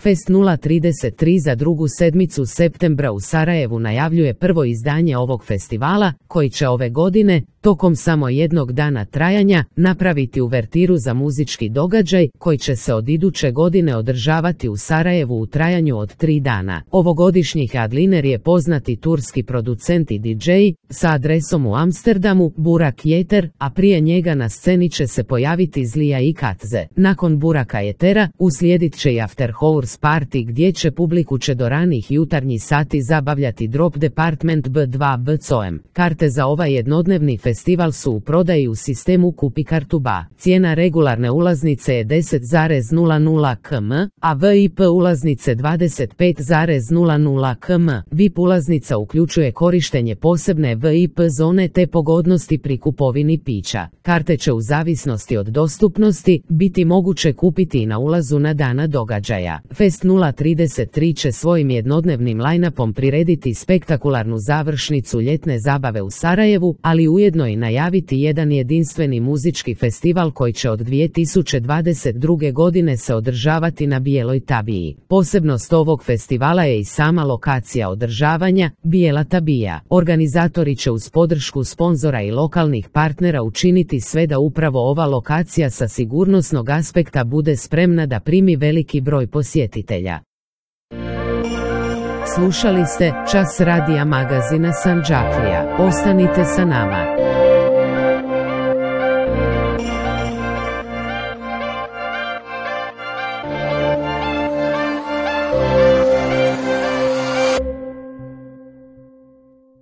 Fest 033 za drugu sedmicu septembra u Sarajevu najavljuje prvo izdanje ovog festivala, koji će ove godine, tokom samo jednog dana trajanja, napraviti uvertiru za muzički događaj, koji će se od iduće godine održavati u Sarajevu u trajanju od 3 dana. Ovogodišnji headliner je poznati turski producent i DJ, sa adresom u Amsterdamu, Burak Yeter, a prije njega na sceni će se pojaviti Zlija i Katze. Nakon Buraka Yetera, uslijedit će i After Hours Party gdje će publiku do ranih jutarnjih sati zabavljati Drop Department B2 BCOM. Karte za ovaj jednodnevni festival su u prodaji u sistemu Kupi kartu BA. Cijena regularne ulaznice je 10,00 km, a VIP ulaznice 25,00 km. VIP ulaznica uključuje korištenje posebne VIP zone te pogodnosti pri kupovini pića. Karte će u zavisnosti od dostupnosti biti moguće kupiti i na ulazu na dana događaja. Fest 033 će svojim jednodnevnim line-upom prirediti spektakularnu završnicu ljetne zabave u Sarajevu, ali ujedno i najaviti jedan jedinstveni muzički festival koji će od 2022. godine se održavati na Bijeloj Tabiji. Posebnost ovog festivala je i sama lokacija održavanja, Bijela Tabija. Organizatori će uz podršku sponzora i lokalnih partnera učiniti sve da upravo ova lokacija sa sigurnosnog aspekta bude spremna da primi veliki broj posjetitelja. Slušali ste Čas radija magazina Sandžaklija. Ostanite sa nama.